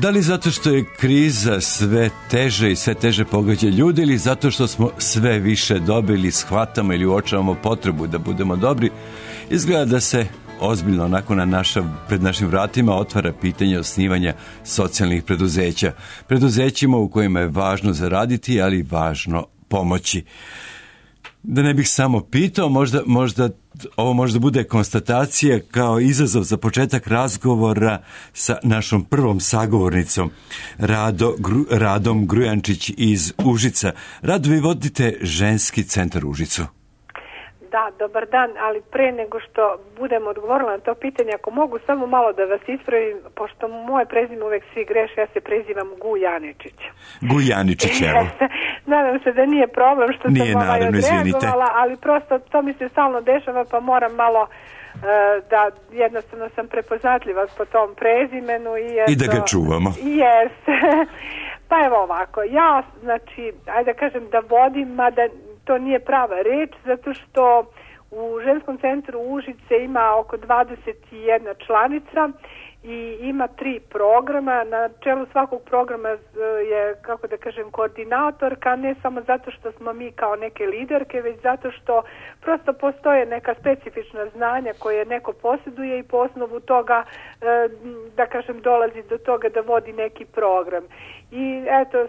Da li zato što je kriza sve teže i sve teže pogađa ljudi ili zato što smo sve više dobili, shvatamo ili uočavamo potrebu da budemo dobri, izgleda da se ozbiljno onako pred našim vratima otvara pitanje osnivanja socijalnih preduzeća. Preduzećima u kojima je važno zaraditi, ali važno pomoći. Da ne bih samo pitao, ovo možda bude konstatacija kao izazov za početak razgovora sa našom prvom sagovornicom, Radom Grujančić iz Užica. Rado, vi vodite Ženski centar Užicu. Da, dobar dan, ali pre nego što budem odgovorila na to pitanje, ako mogu samo malo da vas ispravim, pošto moje prezime uvek svi greše, ja se prezivam Gujaničić. Gujaničić, evo. Nadam se da nije problem što nije, sam odreagovala, ali prosto to mi se stalno dešava, pa moram malo da jednostavno sam prepoznatljiva po tom prezimenu. I da ga čuvamo. Jeste. Pa evo ovako, ja, znači, ajde da kažem da vodim, mada to nije prava reč, zato što u Ženskom centru Užice ima oko 21 članica i ima 3 programa. Na čelu svakog programa je, kako da kažem, koordinatorka, ne samo zato što smo mi kao neke liderke, već zato što prosto postoje neka specifična znanja koje neko posjeduje i po osnovu toga, da kažem, dolazi do toga da vodi neki program. I eto,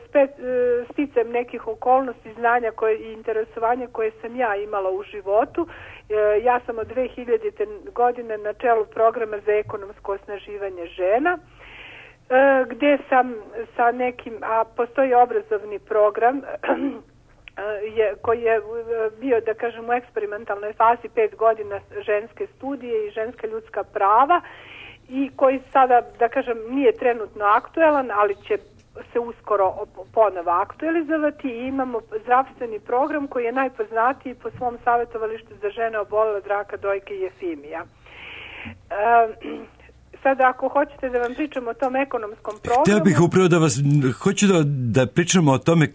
sticam nekih okolnosti, znanja i interesovanja koje sam ja imala u životu. Ja sam od 2000. godine na čelu programa za ekonomsko osnaživanje žena, gdje sam sa nekim, a postoji obrazovni program koji je bio, da kažem, u eksperimentalnoj fazi 5 godina ženske studije i ženska ljudska prava i koji sada, da kažem, nije trenutno aktuelan, ali će se uskoro ponovo aktualizovati i imamo zdravstveni program koji je najpoznatiji po svom savjetovalištu za žene obolele od raka dojke i jefimija. Sada ako hoćete da vam pričam o tom ekonomskom programu... Htio bih upravo hoću da pričamo o tome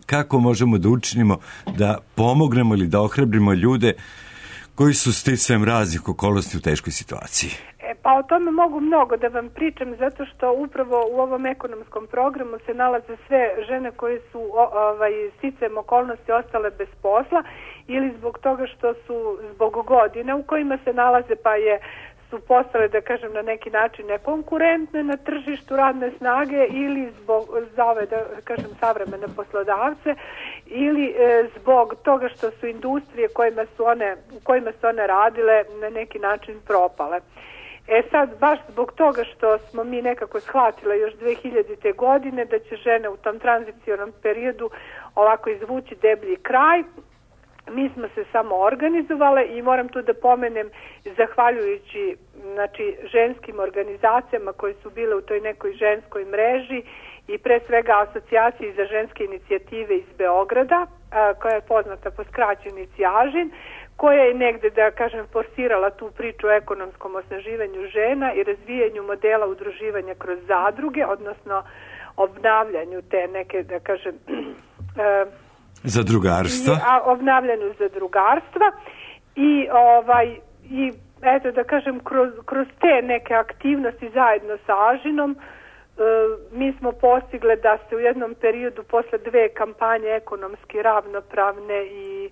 kako možemo da učinimo, da pomognemo ili da ohrabrimo ljude koji su sticajem raznih okolnosti u teškoj situaciji. Pa o tome mogu mnogo da vam pričam, zato što upravo u ovom ekonomskom programu se nalaze sve žene koje su sticajem okolnosti ostale bez posla ili zbog toga što su zbog godina u kojima se nalaze su postale, da kažem, na neki način nekonkurentne na tržištu radne snage ili za ove, da kažem, savremene poslodavce ili zbog toga što su industrije u kojima su one radile na neki način propale. Sad, baš zbog toga što smo mi nekako shvatile još 2000. godine da će žene u tom tranzicionom periodu ovako izvući deblji kraj, mi smo se samo organizovale i moram tu da pomenem, zahvaljujući ženskim organizacijama koje su bile u toj nekoj ženskoj mreži i pre svega Asocijaciji za ženske inicijative iz Beograda, koja je poznata po skraćenici AŽIN, koja je negde, da kažem, forsirala tu priču o ekonomskom osnaživanju žena i razvijanju modela udruživanja kroz zadruge, odnosno obnavljanju te neke, da kažem, zadrugarstva. Obnavljanju zadrugarstva i eto, da kažem, kroz te neke aktivnosti zajedno sa AŽIN-om mi smo postigle da se u jednom periodu posle 2 kampanje ekonomski ravnopravne i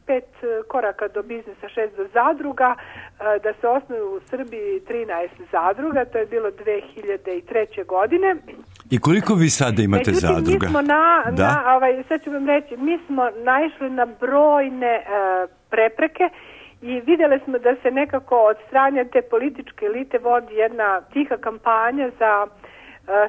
5 koraka do biznisa, 6 do zadruga, da se osnuju u Srbiji 13 zadruga, to je bilo 2003. godine. I koliko vi sada imate zadruga? Mi smo sad ću vam reći, mi smo naišli na brojne prepreke i vidjeli smo da se nekako od strane te političke elite vodi jedna tiha kampanja za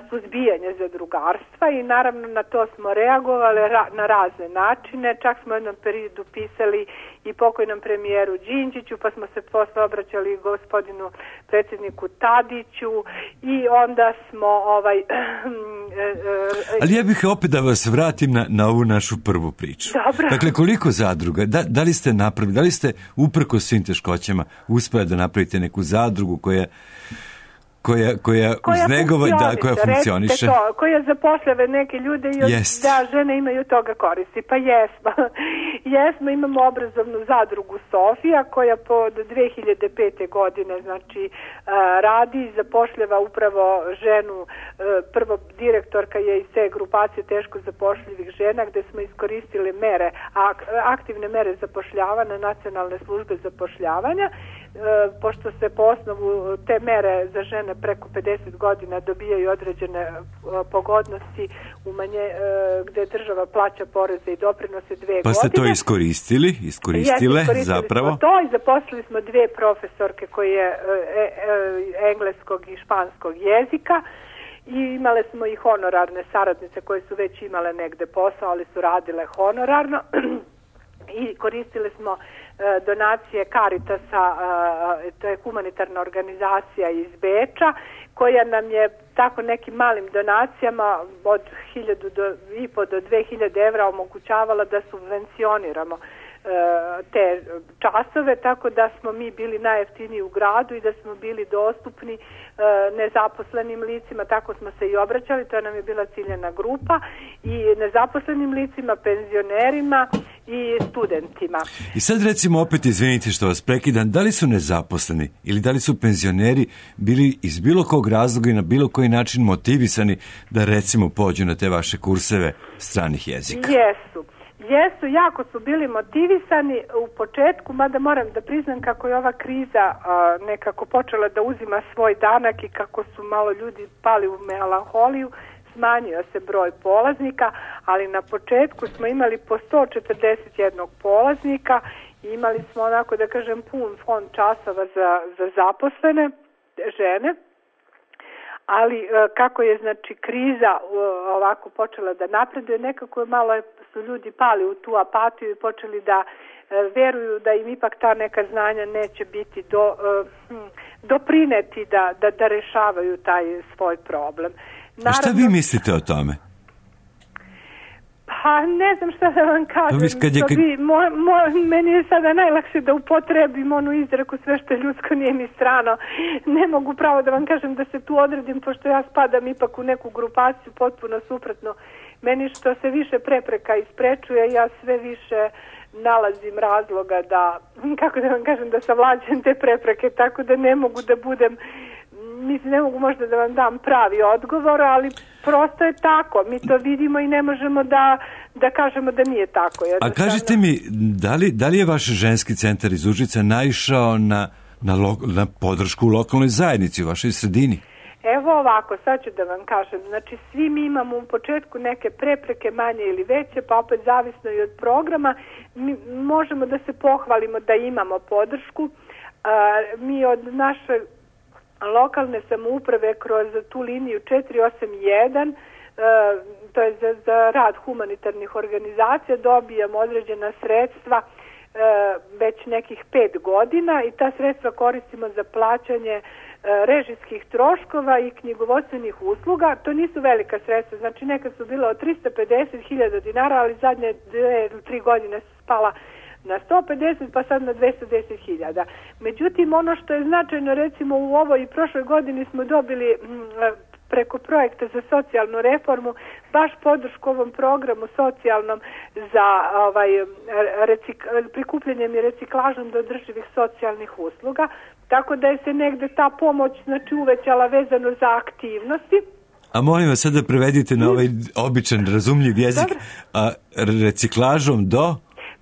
suzbijanje zadrugarstva i naravno na to smo reagovali na razne načine. Čak smo u jednom periodu pisali i pokojnom premijeru Đinđiću, pa smo se posle obraćali gospodinu predsjedniku Tadiću i onda smo Ali ja bih opet da vas vratim na ovu našu prvu priču. Dobro. Dakle, koliko zadruga? Da li ste napravili, da li ste uprkos svim teškoćama uspeli da napravite neku zadrugu koja koja funkcioniše. Koja zapošljava neke ljude i da žene imaju toga koristi. Pa jesmo, imamo obrazovnu zadrugu Sofija koja od 2005. godine znači radi i zapošljava upravo ženu, prvo direktorka je iz te grupacije teško zapošljivih žena gde smo iskoristili mere, aktivne mere zapošljavanja Nacionalne službe zapošljavanja, pošto se po osnovu te mere za žene preko 50 godina dobijaju određene pogodnosti gde država plaća poreze i doprinose 2 godine. Pa ste to iskoristile zapravo? Smo to i zaposlili smo 2 profesorke koje engleskog i španskog jezika i imale smo i honorarne saradnice koje su već imale negde posao, ali su radile honorarno i koristili smo donacije Caritasa, to je humanitarna organizacija iz Beča, koja nam je tako nekim malim donacijama od 1.500 do 2.000 evra omogućavala da subvencioniramo te časove, tako da smo mi bili najjeftiniji u gradu i da smo bili dostupni nezaposlenim licima, tako smo se i obraćali, to nam je bila ciljena grupa, i nezaposlenim licima, penzionerima i studentima. I sad recimo opet, izvinite što vas prekidam, da li su nezaposleni ili da li su penzioneri bili iz bilo kog razloga i na bilo koji način motivisani da recimo pođu na te vaše kurseve stranih jezika? Jesu, jako su bili motivisani u početku, mada moram da priznam kako je ova kriza nekako počela da uzima svoj danak i kako su malo ljudi pali u melanholiju, smanjio se broj polaznika, ali na početku smo imali po 141 polaznika i imali smo onako da kažem pun fond časova za zaposlene žene. Ali kako je znači kriza ovako počela da napreduje, nekako malo su ljudi pali u tu apatiju i počeli da veruju da im ipak ta neka znanja neće biti doprineti da rešavaju taj svoj problem. Naravno, a šta vi mislite o tome? Pa ne znam šta da vam kažem. Meni je sada najlakše da upotrebim onu izreku sve što je ljudsko nije mi strano. Ne mogu pravo da vam kažem da se tu odredim, pošto ja spadam ipak u neku grupaciju potpuno suprotno. Meni što se više prepreka isprečuje, ja sve više nalazim razloga da, kako da vam kažem, da savlađem te prepreke, tako da ne mogu da budem, mislim, ne mogu možda da vam dam pravi odgovor, ali prosto je tako. Mi to vidimo i ne možemo da kažemo da nije tako. A kažite mi, da li je vaš ženski centar iz Užica naišao na podršku u lokalnoj zajednici, u vašoj sredini? Evo ovako, sad ću da vam kažem. Znači, svi mi imamo u početku neke prepreke, manje ili veće, pa opet zavisno i od programa. Mi možemo da se pohvalimo da imamo podršku. Mi od naše lokalne samouprave kroz tu liniju 481, to je za rad humanitarnih organizacija, dobijamo određena sredstva već nekih 5 godina i ta sredstva koristimo za plaćanje režijskih troškova i knjigovodstvenih usluga. To nisu velika sredstva, znači nekad su bilo od 350.000 dinara, ali zadnje 2 ili 3 godine su spala na 150, pa sad na 210.000. Međutim, ono što je značajno, recimo u ovoj i prošloj godini smo dobili preko projekta za socijalnu reformu baš podršku ovom programu socijalnom za prikupljanjem i reciklažom do održivih socijalnih usluga, tako da je se negde ta pomoć znači uvećala vezano za aktivnosti. A molim vas sad da prevedite na ovaj običan, razumljiv jezik, reciklažom do...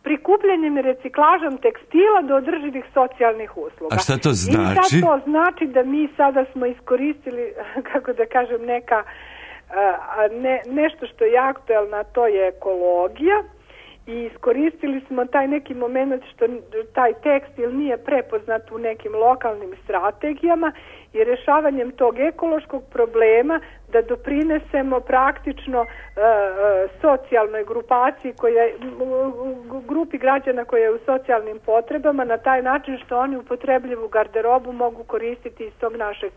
Prikupljanjem i reciklažom tekstila do održivih socijalnih usluga. A šta to znači? I šta to znači? Da mi sada smo iskoristili, kako da kažem, nešto što je aktuelno, to je ekologija, i iskoristili smo taj neki moment što taj tekstil nije prepoznat u nekim lokalnim strategijama i rešavanjem tog ekološkog problema da doprinesemo praktično socijalnoj grupaciji, grupi građana koja je u socijalnim potrebama, na taj način što oni upotrebljivu garderobu mogu koristiti iz tog našeg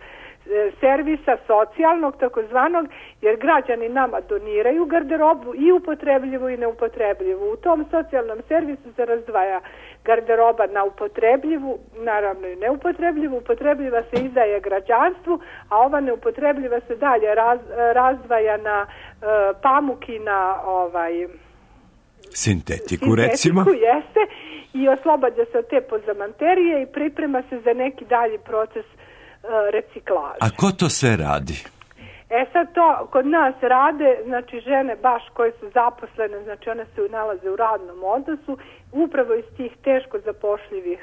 servisa socijalnog takozvanog, jer građani nama doniraju garderobu i upotrebljivu i neupotrebljivu. U tom socijalnom servisu se razdvaja garderoba na upotrebljivu, naravno i neupotrebljivu. Upotrebljiva se izdaje građanstvu, a ova neupotrebljiva se dalje razdvaja na pamuk i na sintetiku recimo. Jeste, i oslobađa se od te pozamanterije i priprema se za neki dalji proces reciklaže. A ko to sve radi? Sad to kod nas rade, znači žene baš koje su zaposlene, znači one se nalaze u radnom odnosu, upravo iz tih teško zapošljivih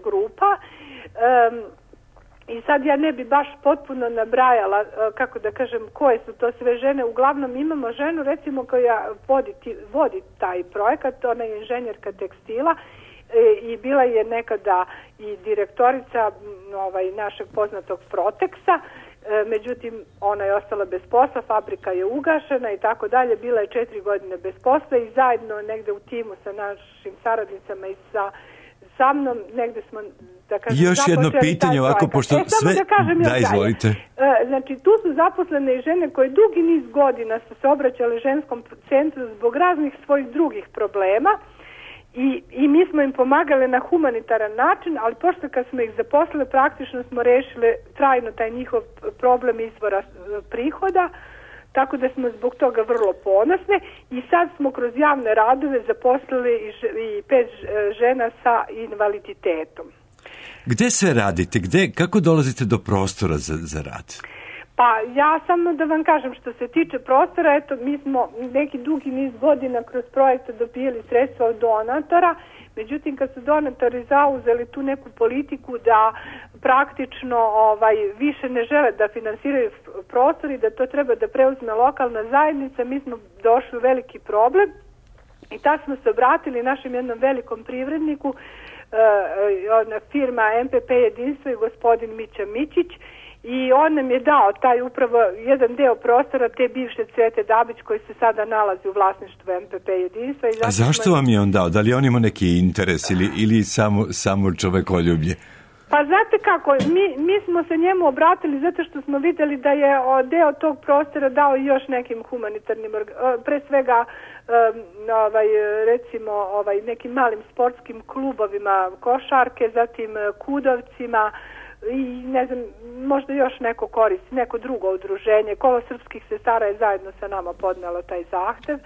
grupa. I sad ja ne bi baš potpuno nabrajala, kako da kažem, koje su to sve žene. Uglavnom imamo ženu, recimo, koja vodi taj projekat, ona je inženjerka tekstila i bila je nekada i direktorica našeg poznatog Proteksa. Međutim, ona je ostala bez posla, fabrika je ugašena i tako dalje, bila je 4 godine bez posla i zajedno negde u timu sa našim saradnicama i sa mnom, negde smo, da kažem, još jedno pitanje ovako, pošto sve... Da, izvolite. Znači, tu su zaposlene i žene koje dugi niz godina su se obraćale ženskom centru zbog raznih svojih drugih problema. I mi smo im pomagali na humanitaran način, ali pošto kad smo ih zaposlili, praktično smo rešili trajno taj njihov problem izvora prihoda, tako da smo zbog toga vrlo ponosne i sad smo kroz javne radove zaposlili i 5 žena sa invaliditetom. Gde se radite? Kako dolazite do prostora za rad? Pa ja samo da vam kažem, što se tiče prostora, eto, mi smo neki dugi niz godina kroz projekte dobijali sredstva od donatora, međutim kad su donatori zauzeli tu neku politiku da praktično više ne žele da finansiraju prostor i da to treba da preuzme lokalna zajednica, mi smo došli u veliki problem i tad smo se obratili našem jednom velikom privredniku, firma MPP Jedinstvo i gospodin Mića Mićić, i on nam je dao taj upravo jedan deo prostora te bivše Cvete Dabić koji se sada nalazi u vlasništvu MPP Jedinstva. A zašto vam je on dao? Da li on ima neki interes ili samo čovekoljublje? Pa znate kako, mi smo se njemu obratili zato što smo vidjeli da je deo tog prostora dao još nekim humanitarnim, pre svega recimo nekim malim sportskim klubovima košarke, zatim kudovcima, i ne znam, možda još neko koristi, neko drugo udruženje. Kolo srpskih sestara je zajedno sa nama podnelo taj zahtev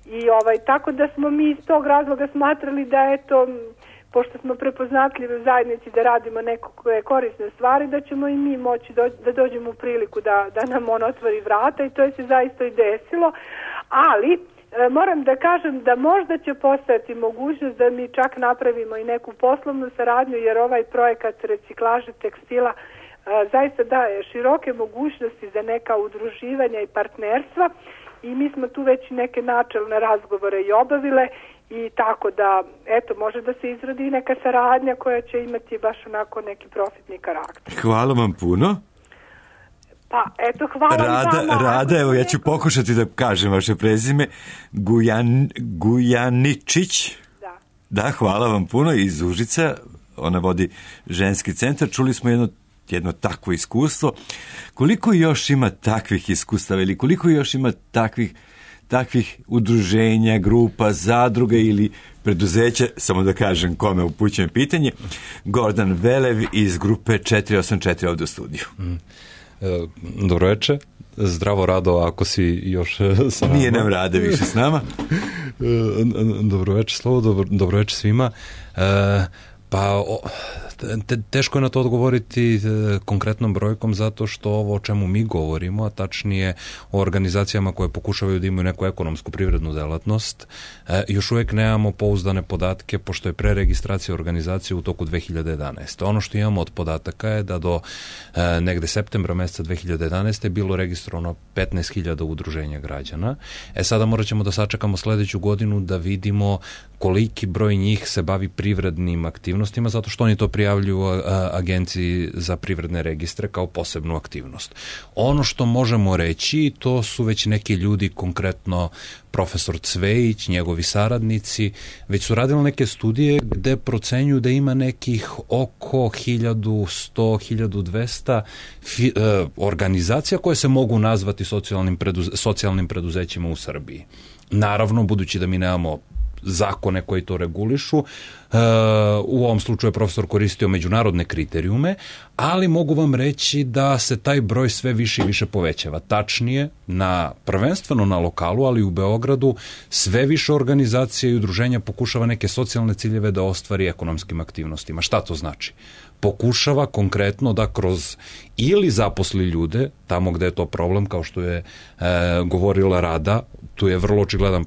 i tako da smo mi iz tog razloga smatrali da eto, pošto smo prepoznatljivi u zajednici da radimo nekakve korisne stvari, da ćemo i mi moći da dođemo u priliku da nam on otvori vrata i to je se zaista i desilo, ali moram da kažem da možda će postojati mogućnost da mi čak napravimo i neku poslovnu saradnju, jer ovaj projekat reciklaže tekstila zaista daje široke mogućnosti za neka udruživanja i partnerstva i mi smo tu već neke načelne razgovore i obavile i tako da, eto, može da se izradi neka saradnja koja će imati baš onako neki profitni karakter. Hvala vam puno. Pa, eto, hvala vam. Rada, evo, ja ću pokušati da kažem vaše prezime. Gujaničić. Da, hvala vam puno. Iz Užica, ona vodi ženski centar. Čuli smo jedno takvo iskustvo. Koliko još ima takvih iskustava ili koliko još ima takvih udruženja, grupa, zadruge ili preduzeća, samo da kažem kome upućujem pitanje, Gordan Velev iz grupe 484 ovdje u studiju. Dobro večer, zdravo Rado, ako si još sa nama. Nije nam Rade više s nama. Dobro večer Slovo, dobro večer svima. Pa teško je na to odgovoriti konkretnom brojkom zato što ovo o čemu mi govorimo, a tačnije o organizacijama koje pokušavaju da imaju neku ekonomsku privrednu delatnost, još uvijek nemamo pouzdane podatke pošto je preregistracija organizacije u toku 2011. Ono što imamo od podataka je da do negde septembra meseca 2011. je bilo registrovano 15.000 udruženja građana. Sada morat ćemo da sačekamo sledeću godinu da vidimo koliki broj njih se bavi privrednim aktivnostima, zato što oni to prijavljuju Agenciji za privredne registre kao posebnu aktivnost. Ono što možemo reći, to su već neki ljudi, konkretno profesor Cvejić, njegovi saradnici, već su radili neke studije gde procenjuju da ima nekih oko 1100-1200 organizacija koje se mogu nazvati socijalnim preduzećima u Srbiji. Naravno, budući da mi nemamo zakone koji to regulišu. U ovom slučaju je profesor koristio međunarodne kriterijume, ali mogu vam reći da se taj broj sve više i više povećava. Tačnije, prvenstveno na lokalu, ali i u Beogradu, sve više organizacija i udruženja pokušava neke socijalne ciljeve da ostvari ekonomskim aktivnostima. Šta to znači? Pokušava konkretno da kroz ili zaposli ljude, tamo gde je to problem, kao što je govorila Rada, tu je vrlo očigledan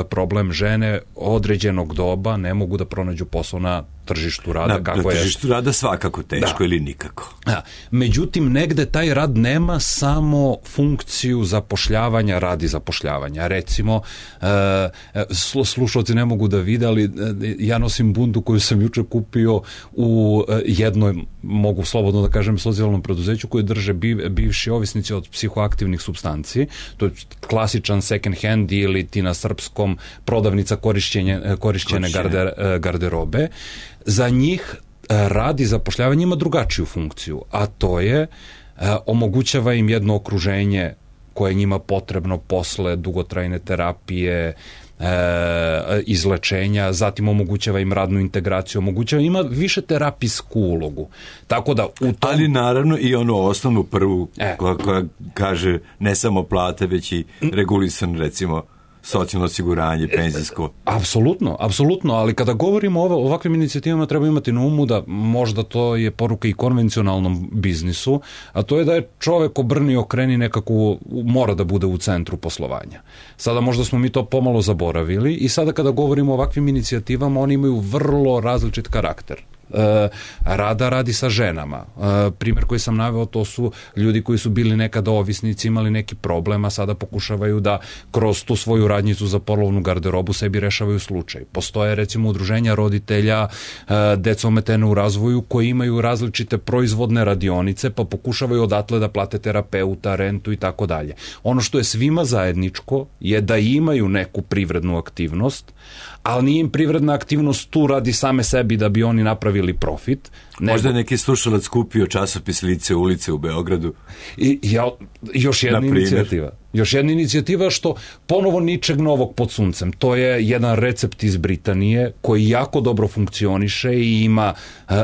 problem, žene određenog doba ne mogu da pronađu posao na tržištu rada. Na tržištu rada svakako teško ili nikako. Međutim, negde taj rad nema samo funkciju zapošljavanja radi zapošljavanja. Recimo, slušalci ne mogu da vide, ali ja nosim bundu koju sam juče kupio u jednoj, mogu slobodno da kažem, socijalnom preduzeću koje drže bivši ovisnici od psihoaktivnih supstanci. To je klasičan second hand ili ti na srpskom prodavnica korišćene garderobe. Za njih rad i zapošljavanje ima drugačiju funkciju, a to je omogućava im jedno okruženje koje je njima potrebno posle dugotrajne terapije, izlečenja, zatim omogućava im radnu integraciju, ima više terapijsku ulogu. Tako da ali naravno i onu osnovnu prvu koja kaže ne samo plate, već i regulisan, recimo, socijalno osiguranje, penzijsko. Apsolutno, ali kada govorimo o ovakvim inicijativama treba imati na umu da možda to je poruka i konvencionalnom biznisu, a to je da je čovek obrni okreni nekako mora da bude u centru poslovanja. Sada možda smo mi to pomalo zaboravili i sada kada govorimo o ovakvim inicijativama, oni imaju vrlo različit karakter. Rada radi sa ženama. Primjer koji sam naveo, to su ljudi koji su bili nekada ovisnici, imali neki problem, a sada pokušavaju da kroz tu svoju radnjicu za polovnu garderobu sebi rešavaju slučaj. Postoje recimo udruženja roditelja deca ometene u razvoju koji imaju različite proizvodne radionice, pa pokušavaju odatle da plate terapeuta, rentu i tako dalje. Ono što je svima zajedničko je da imaju neku privrednu aktivnost, ali nije im privredna aktivnost tu radi same sebi da bi oni napravili profit. Možda je neki slušalac kupio časopis Lice ulice u Beogradu. Još jedna inicijativa što ponovo ničeg novog pod suncem. To je jedan recept iz Britanije koji jako dobro funkcioniše i ima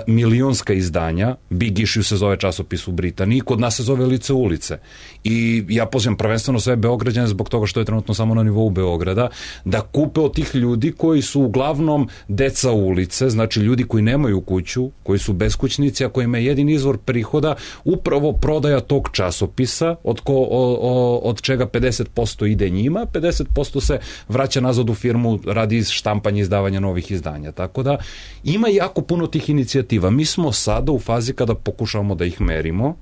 milionska izdanja. Big Issue se zove časopis u Britaniji, kod nas se zove Lice ulice. I ja pozivam prvenstveno sve Beograđane zbog toga što je trenutno samo na nivou Beograda, da kupe od tih ljudi koji su uglavnom deca ulice, znači ljudi koji nemaju kuću, koji su beskućnici, a kojima je jedini izvor prihoda upravo prodaja tog časopisa, od čega 50% ide njima, 50% se vraća nazad u firmu radi štampanja i izdavanja novih izdanja. Tako da ima jako puno tih inicijativa. Mi smo sada u fazi kada pokušavamo da ih merimo,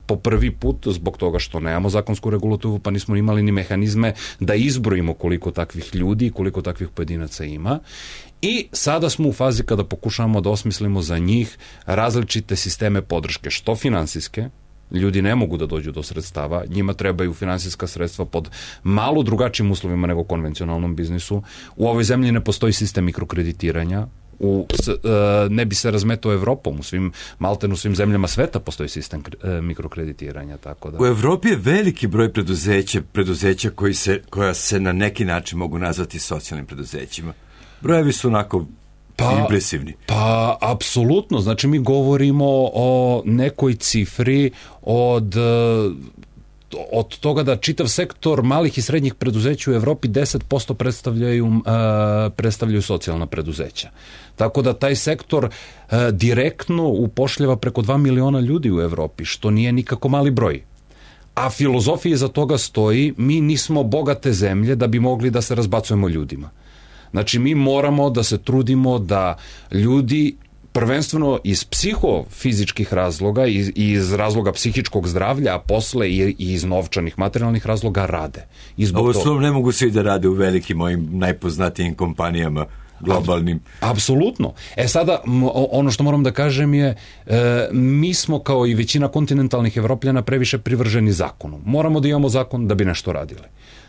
po prvi put, zbog toga što nemamo zakonsku regulativu, pa nismo imali ni mehanizme da izbrojimo koliko takvih ljudi i koliko takvih pojedinaca ima. I sada smo u fazi kada pokušavamo da osmislimo za njih različite sisteme podrške, što finansijske, ljudi ne mogu da dođu do sredstava, njima trebaju finansijska sredstva pod malo drugačijim uslovima nego konvencionalnom biznisu. U ovoj zemlji ne postoji sistem mikrokreditiranja, ne bi se razmetao Evropom, u svim zemljama sveta postoji sistem mikrokreditiranja. Tako da. U Evropi je veliki broj preduzeća koja se na neki način mogu nazvati socijalnim preduzećima. Brojevi su onako impresivni. Pa, apsolutno. Znači, mi govorimo o nekoj cifri od toga da čitav sektor malih i srednjih preduzeća u Evropi 10% predstavljaju socijalna preduzeća. Tako da taj sektor direktno upošljava preko 2 miliona ljudi u Evropi, što nije nikako mali broj. A filozofija iza toga stoji, mi nismo bogate zemlje da bi mogli da se razbacujemo ljudima. Znači, mi moramo da se trudimo da ljudi prvenstveno iz psihofizičkih razloga i iz razloga psihičkog zdravlja, a posle i iz novčanih materijalnih razloga rade. Ovo slovo ne mogu svi da rade u velikim mojim najpoznatijim kompanijama globalnim. Apsolutno. Sada, ono što moram da kažem je, mi smo kao i većina kontinentalnih Evropljana previše privrženi zakonu. Moramo da imamo zakon da bi nešto radili.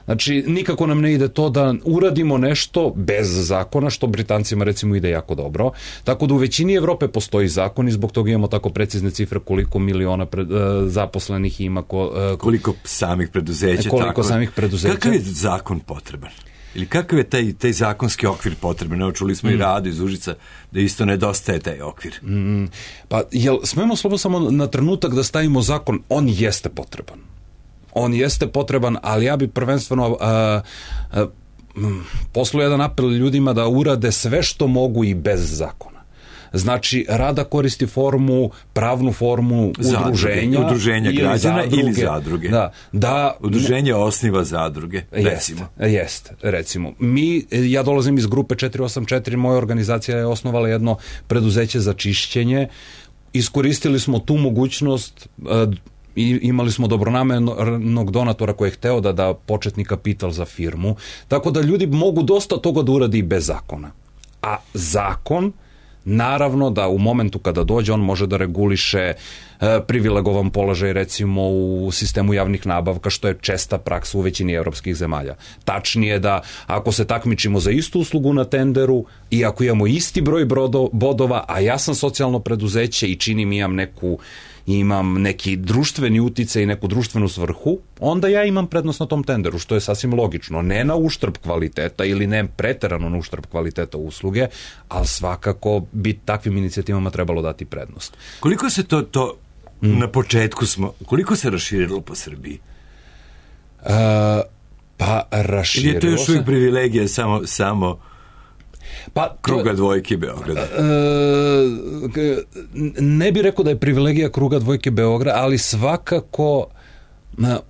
Znači, nikako nam ne ide to da uradimo nešto bez zakona, što Britancima recimo ide jako dobro. Tako da u većini Evrope postoji zakon i zbog toga imamo tako precizne cifre koliko miliona zaposlenih ima. Koliko samih preduzeća. Samih preduzeća. Kakav je zakon potreban? Ili kakav je taj zakonski okvir potreban? Evo, čuli smo i Radu iz Užica da isto nedostaje taj okvir. Pa, jel smemo samo na trenutak da stavimo zakon? On jeste potreban. On jeste potreban, ali ja bi prvenstveno poslao jedan apel ljudima da urade sve što mogu i bez zakona. Znači, Rada koristi pravnu formu udruženja građana ili zadruge. Da, udruženje osniva zadruge, recimo. Recimo. Ja dolazim iz grupe 484, moja organizacija je osnovala jedno preduzeće za čišćenje. Iskoristili smo tu mogućnost i imali smo dobronamernog donatora koji je hteo da da početni kapital za firmu. Tako da ljudi mogu dosta toga da uradi i bez zakona. A zakon, naravno da u momentu kada dođe on može da reguliše privilegovan položaj recimo u sistemu javnih nabavka, što je česta praksa u većini evropskih zemalja. Tačnije da ako se takmičimo za istu uslugu na tenderu i ako imamo isti broj bodova, a ja sam socijalno preduzeće i imam neki društveni uticaj i neku društvenu svrhu, onda ja imam prednost na tom tenderu, što je sasvim logično. Ne na uštrb kvaliteta ili ne preterano na uštrb kvaliteta usluge, ali svakako bi takvim inicijativama trebalo dati prednost. Koliko se to na početku koliko se raširilo po Srbiji? Pa raširilo se. Ili je to još uvijek privilegija samo kruga dvojke Beograda? Ne bih rekao da je privilegija kruga dvojke Beograda, ali svakako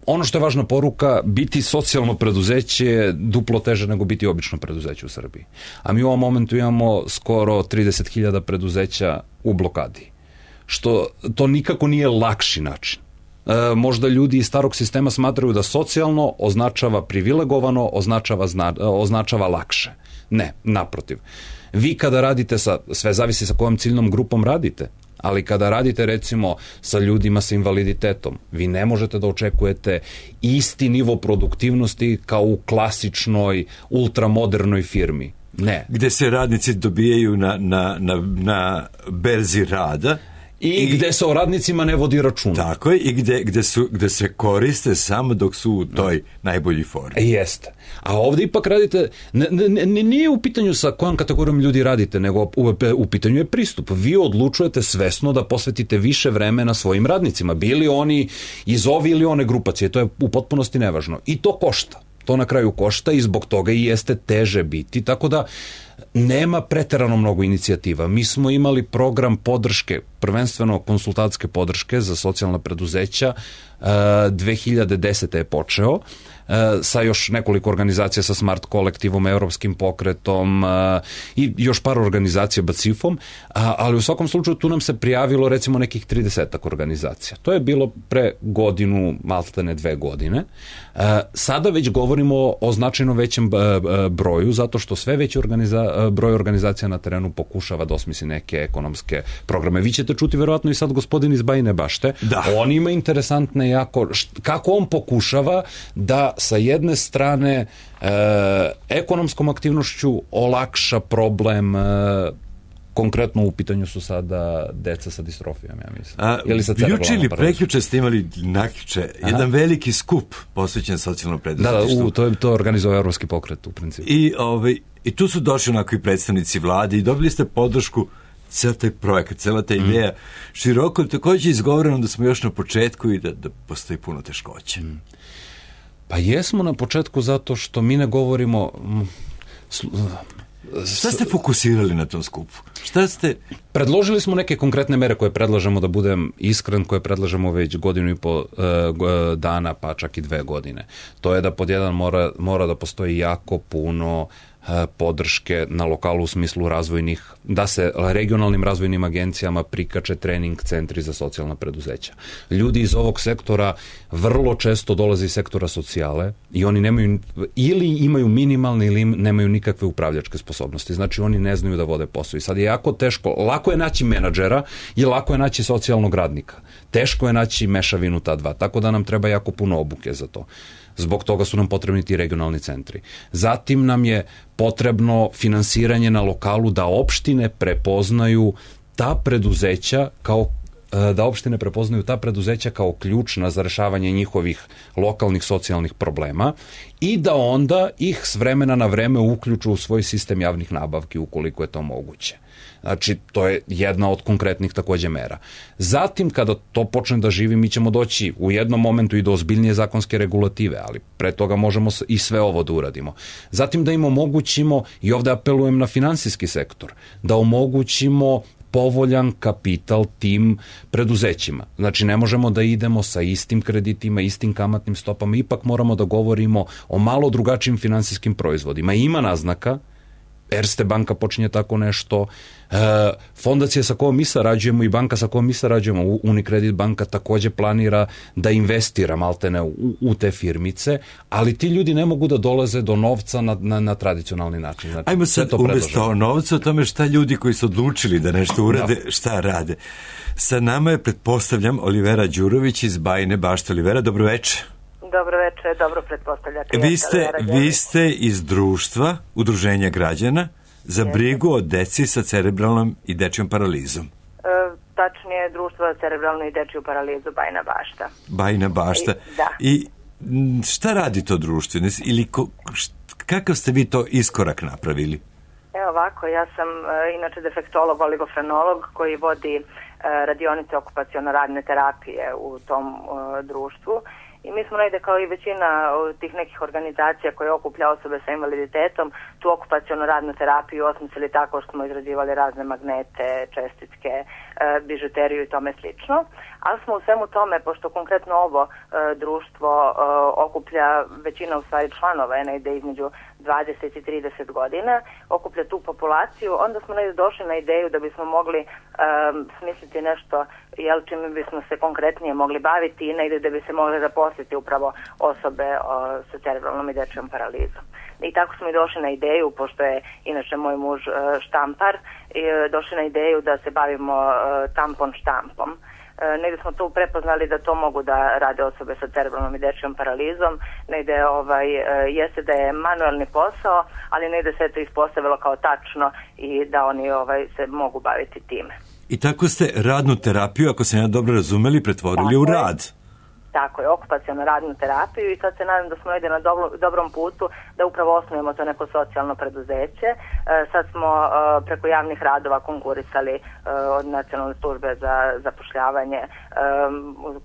ono što je važna poruka, biti socijalno preduzeće je duplo teže nego biti obično preduzeće u Srbiji. A mi u ovom momentu imamo skoro 30.000 preduzeća u blokadi. Što to nikako nije lakši način. Možda ljudi iz starog sistema smatraju da socijalno označava privilegovano, označava lakše. Ne, naprotiv. Vi kada radite sve zavisi sa kojom ciljnom grupom radite, ali kada radite recimo sa ljudima sa invaliditetom, vi ne možete da očekujete isti nivo produktivnosti kao u klasičnoj, ultramodernoj firmi. Ne. Gde se radnici dobijaju na berzi rada, I gde se o radnicima ne vodi računa. Tako je, i gde se koriste samo dok su u toj najbolji formi. Jeste. A ovdje ipak radite, nije u pitanju sa kojom kategorijom ljudi radite, nego u pitanju je pristup. Vi odlučujete svesno da posvetite više vremena svojim radnicima, bili oni iz ove ili one grupacije, to je u potpunosti nevažno. I to košta. To na kraju košta i zbog toga i jeste teže biti, tako da nema preterano mnogo inicijativa. Mi smo imali program podrške, prvenstveno konsultantske podrške za socijalna preduzeća, 2010. je počeo, sa još nekoliko organizacija, sa Smart kolektivom, Evropskim pokretom i još par organizacija, BACIF-om, ali u svakom slučaju tu nam se prijavilo recimo nekih 30-ak organizacija. To je bilo pre godinu, maltene 2 godine. Sada već govorimo o značajno većem broju, zato što sve veći broj organizacija na terenu pokušava da osmisli neke ekonomske programe. Vi ćete čuti verovatno i sad gospodin iz Bajine Bašte. Da. On ima interesantne jako, kako on pokušava da sa jedne strane ekonomskom aktivnošću olakša problem, konkretno u pitanju su sada deca sa distrofijom, ja mislim. Juče ili prekjuče ste imali jedan veliki skup posvećen socijalnom preduzetništvu. Da, to organizuje Evropski pokret u principu. I tu su došli onako i predstavnici vlade i dobili ste podršku, ceo taj projekat, cela ta ideja široko, također izgovoreno da smo još na početku i da postoji puno teškoće. Pa jesmo na početku zato što mi ne govorimo... Šta ste fokusirali na tom skupu? Predložili smo neke konkretne mere koje predlažemo, da budem iskren, koje predlažemo već 1,5 dana, pa čak i 2 godine. To je da pod jedan mora da postoji jako puno podrške na lokalu u smislu razvojnih, da se regionalnim razvojnim agencijama prikače trening centri za socijalna preduzeća. Ljudi iz ovog sektora vrlo često dolaze iz sektora socijale i oni nemaju, ili imaju minimalne ili nemaju nikakve upravljačke sposobnosti. Znači oni ne znaju da vode posao. I sad je jako teško, lako je naći menadžera i lako je naći socijalnog radnika. Teško je naći mešavinu ta dva, tako da nam treba jako puno obuke za to. Zbog toga su nam potrebni ti regionalni centri. Zatim nam je potrebno finansiranje na lokalu da opštine prepoznaju ta preduzeća kao da opštine prepoznaju ta preduzeća kao ključna za rešavanje njihovih lokalnih socijalnih problema i da onda ih s vremena na vreme uključu u svoj sistem javnih nabavki ukoliko je to moguće. Znači, to je jedna od konkretnih takođe mera. Zatim, kada to počne da živi, mi ćemo doći u jednom momentu i do ozbiljnije zakonske regulative, ali pre toga možemo i sve ovo da uradimo. Zatim da im omogućimo, i ovde apelujem na finansijski sektor, da omogućimo povoljan kapital tim preduzećima. Znači, ne možemo da idemo sa istim kreditima, istim kamatnim stopama, ipak moramo da govorimo o malo drugačijim finansijskim proizvodima. Ima naznaka, Erste banka počinje tako nešto, fondacija sa kojom mi sarađujemo i banka sa kojom mi sarađujemo, Unicredit banka takođe planira da investira maltene u te firmice, ali ti ljudi ne mogu da dolaze do novca na tradicionalni način. Znači, ajmo sad umesto novca o tome šta ljudi koji su odlučili da nešto urade, šta rade. Sa nama je, pretpostavljam, Olivera Đurović iz Bajine Bašte. Olivera, dobro večer. Dobro večer, dobro pretpostavljate. Vi ste iz društva, udruženja građana, za brigu o deci sa cerebralnom i dečijom paralizom. Tačnije, društvo za cerebralnu i dečiju paralizu Bajina Bašta. Bajina Bašta. I šta radi to društvo? Ili kakav ste vi to iskorak napravili? Evo ovako, ja sam inače defektolog, oligofrenolog koji vodi radionice okupaciono-radne terapije u tom društvu. I mi smo negde kao i većina tih nekih organizacija koje okuplja osobe sa invaliditetom tu okupacionu radnu terapiju osmislili tako što smo izrađivali razne magnete, čestitke, bižuteriju i tome slično. Ali smo u svemu tome, pošto konkretno ovo društvo okuplja većina u stvari članova, je negde između 20 i 30 godina, okuplja tu populaciju, onda smo negde došli na ideju da bismo mogli smisliti nešto čime bismo se konkretnije mogli baviti i negde da bi se mogli zaposliti upravo osobe sa cerebralnom i dečijom paralizom. I tako smo i došli na ideju, pošto je inače moj muž štampar, došli na ideju da se bavimo tampon štampom. Negde smo tu prepoznali da to mogu da rade osobe sa cerebralnom i dečijom paralizom, negde jeste da je manuelni posao, ali negde se to ispostavilo kao tačno i da oni se mogu baviti time. I tako ste radnu terapiju, ako se ja dobro razumeli, pretvorili u rad. Tako je, okupacionu radnu terapiju i sad se nadam da smo negde na dobrom putu da upravo osnujemo to neko socijalno preduzeće. Sad smo preko javnih radova konkurisali od Nacionalne službe za zapošljavanje,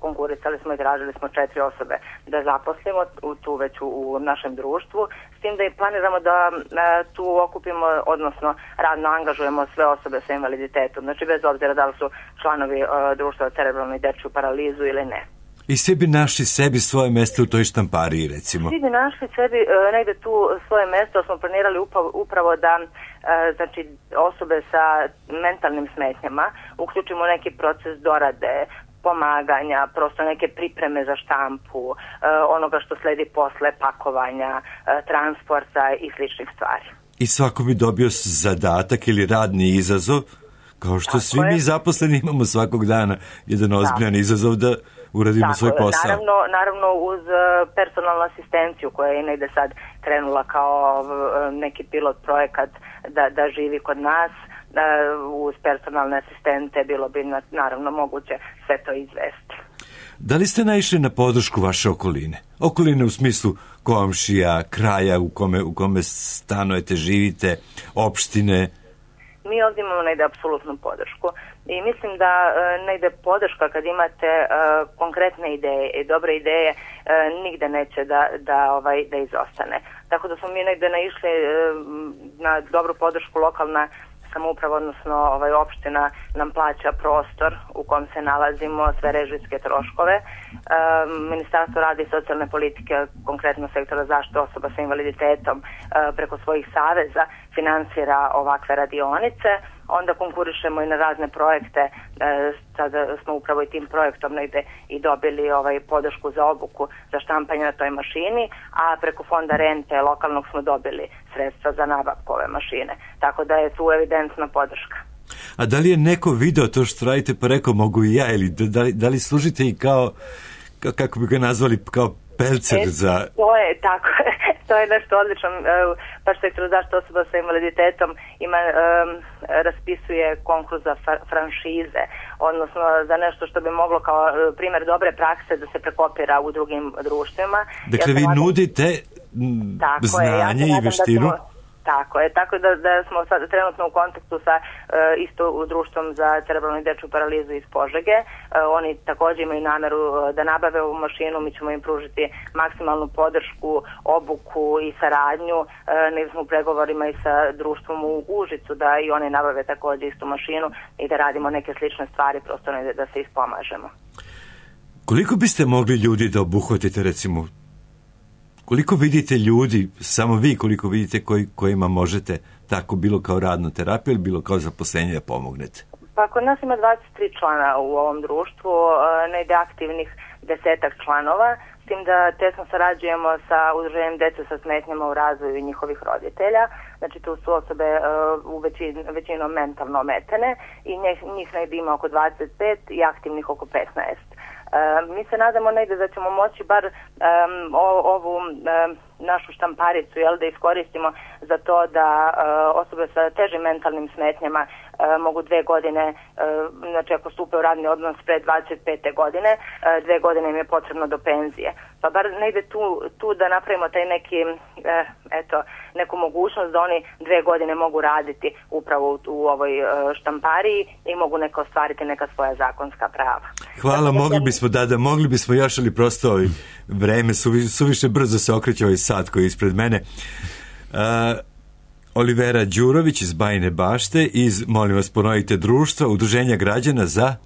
konkurisali smo i tražili smo 4 osobe da zaposlimo tu već u našem društvu, s tim da i planiramo da tu okupimo, odnosno radno angažujemo sve osobe sa invaliditetom, znači bez obzira da li su članovi društva za cerebralnu i dečiju paralizu ili ne. I svi bi našli sebi svoje mesto u toj štampariji, recimo. Svi bi našli sebi negde tu svoje mesto, smo planirali upravo da znači, osobe sa mentalnim smetnjama uključimo neki proces dorade, pomaganja, prosto neke pripreme za štampu, onoga što sledi posle pakovanja, transporta i sličnih stvari. I svako bi dobio zadatak ili radni izazov, kao što svi mi zaposleni imamo svakog dana jedan ozbiljan izazov da uradimo svoj posao. Naravno uz personalnu asistenciju koja je negde sad krenula kao neki pilot projekat da živi kod nas, uz personalne asistente bilo bi naravno moguće sve to izvesti. Da li ste naišli na podršku vaše okoline? Okoline u smislu komšija, kraja u kome stanujete, živite, opštine? Mi ovdje imamo negde apsolutnu podršku i mislim da negde podrška kad imate konkretne ideje i dobre ideje nigde neće da izostane. Tako da smo mi negde naišli na dobru podršku. Lokalna samouprava, odnosno opština nam plaća prostor u kom se nalazimo, sve režijske troškove. Ministarstvo rada i socijalne politike, konkretno sektora zaštite osoba sa invaliditetom, preko svojih saveza finansira ovakve radionice. Onda konkurišemo i na razne projekte. Sada smo upravo i tim projektom negde i dobili podršku za obuku za štampanje na toj mašini, a preko fonda rente lokalnog smo dobili sredstva za nabavku ove mašine. Tako da je tu evidentna podrška. A da li je neko video to što radite pa rekao mogu i ja, ili da li služite i kao, kako bi ga nazvali, kao pelcer za... To je tako. To je nešto odlično. Baš sektor zaštite osoba sa invaliditetom raspisuje konkurs za franšize, odnosno za nešto što bi moglo kao primjer dobre prakse da se prekopira u drugim društvima. Dakle, vi nudite znanje i vještinu? Tako je, tako da smo sad trenutno u kontaktu sa isto u društvom za cerebralnu i dečju paralizu iz Požege. Oni također imaju nameru da nabave ovu mašinu, mi ćemo im pružiti maksimalnu podršku, obuku i saradnju. Negdje smo u pregovorima i sa društvom u Užicu da i oni nabave također istu mašinu i da radimo neke slične stvari, prosto da se ispomažemo. Koliko biste mogli ljudi da obuhvatite, recimo, koliko vidite ljudi, samo vi koliko vidite kojima možete tako bilo kao radnu terapiju ili bilo kao zaposlenje da pomognete? Pa kod nas ima 23 člana u ovom društvu, negdje aktivnih 10 članova, s tim da tesno sarađujemo sa udruženjem dece sa smetnjama u razvoju i njihovih roditelja. Znači tu su osobe većinom mentalno ometene i njih negdje ima oko 25 i aktivnih oko 15. Mi se nadamo negdje da ćemo moći bar ovu našu štamparicu da iskoristimo za to da osobe sa težim mentalnim smetnjama mogu 2 godine, znači ako stupe u radni odnos pre 25. godine, 2 godine im je potrebno do penzije. Pa bar negdje tu da napravimo taj neki, neku mogućnost da oni 2 godine mogu raditi upravo u ovoj štampariji i mogu ostvariti neka svoja zakonska prava. Hvala, mogli bismo još, ali prosto vreme suviše brzo se okreće ovaj sat koji je ispred mene. Olivera Đurović iz Bajine Bašte, molim vas ponovite, društva, udruženja građana za...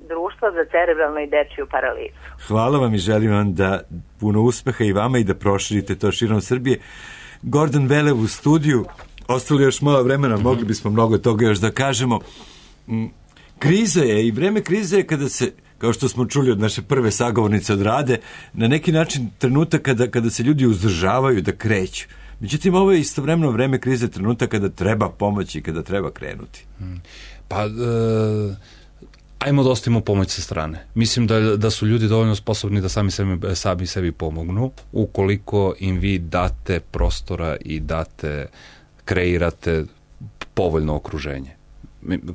Društvo za cerebralnu i dečju paralizu. Hvala vam i želim vam da puno uspeha i vama i da proširite to širom Srbije. Gordon Velev u studiju, ostalo još malo vremena, mogli bismo mnogo toga još da kažemo. Kriza je i vreme krize je kada se, kao što smo čuli od naše prve sagovornice od Rade, na neki način trenutak kada se ljudi uzdržavaju da kreću. Međutim, ovo je istovremeno vreme krize, trenutak kada treba pomoći i kada treba krenuti. Pa, ajmo da ostavimo pomoć sa strane. Mislim da su ljudi dovoljno sposobni da sami sebi pomognu, ukoliko im vi date prostora i kreirate povoljno okruženje.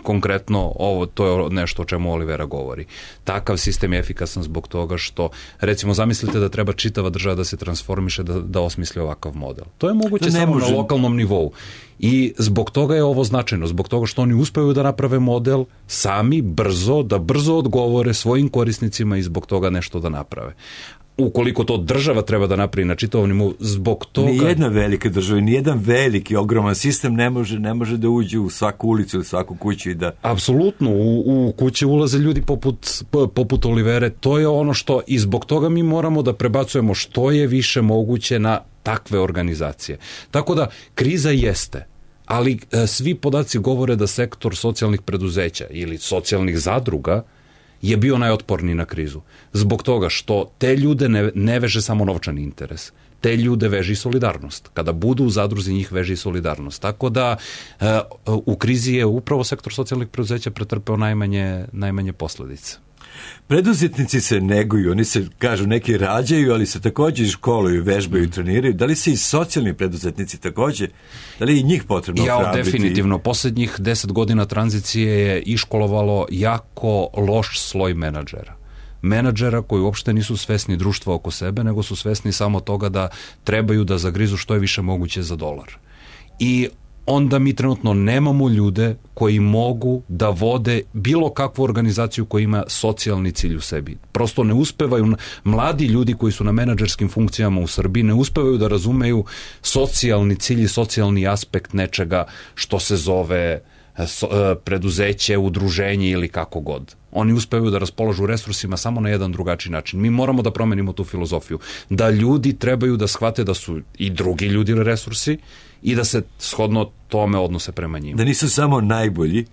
Konkretno, to je nešto o čemu Olivera govori. Takav sistem je efikasan zbog toga što, recimo, zamislite da treba čitava država da se transformiše, da osmisli ovakav model. To je moguće samo na lokalnom nivou. I zbog toga je ovo značajno, zbog toga što oni uspeju da naprave model sami, da brzo odgovore svojim korisnicima i zbog toga nešto da naprave. Ukoliko to država treba da napravi na čitavom nivou, zbog toga... Nijedna velika država, nijedan veliki, ogroman sistem ne može da uđe u svaku ulicu ili svaku kuću i da... Apsolutno, u kuće ulaze ljudi poput Olivere, to je ono što, i zbog toga mi moramo da prebacujemo što je više moguće na takve organizacije. Tako da, kriza jeste, ali svi podaci govore da sektor socijalnih preduzeća ili socijalnih zadruga je bio najotporniji na krizu. Zbog toga što te ljude ne veže samo novčani interes. Te ljude veže i solidarnost. Kada budu u zadruzi, njih veže i solidarnost. Tako da u krizi je upravo sektor socijalnih preduzeća pretrpeo najmanje posljedice. Preduzetnici se neguju, oni se, kažu, neki rađaju, ali se također školuju, vežbaju, treniraju. Da li se i socijalni preduzetnici također, da li je i njih potrebno ohrabriti? Definitivno. Posljednjih 10 godina tranzicije je iškolovalo jako loš sloj menadžera. Menadžera koji uopšte nisu svesni društva oko sebe, nego su svesni samo toga da trebaju da zagrizu što je više moguće za dolar. I onda mi trenutno nemamo ljude koji mogu da vode bilo kakvu organizaciju koja ima socijalni cilj u sebi. Prosto ne uspevaju, mladi ljudi koji su na menadžerskim funkcijama u Srbiji ne uspevaju da razumeju socijalni cilj i socijalni aspekt nečega što se zove preduzeće, udruženje ili kako god. Oni uspevaju da raspolažu resursima samo na jedan drugačiji način. Mi moramo da promenimo tu filozofiju. Da ljudi trebaju da shvate da su i drugi ljudi resursi i da se shodno tome odnose prema njima. Da nisu samo najbolji.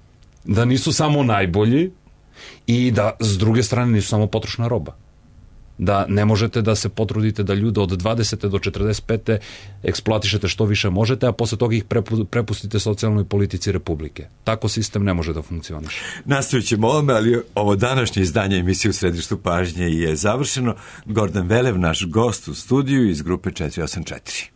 Da nisu samo najbolji i da s druge strane nisu samo potrošna roba. Da ne možete da se potrudite da ljude od 20. do 45. eksploatišete što više možete, a posle toga ih prepustite socijalnoj politici Republike. Tako sistem ne može da funkcioniše. Nastavit ćemo ovome, ali ovo današnje izdanje emisije U središtu pažnje je završeno. Gordon Velev, naš gost u studiju iz grupe 484.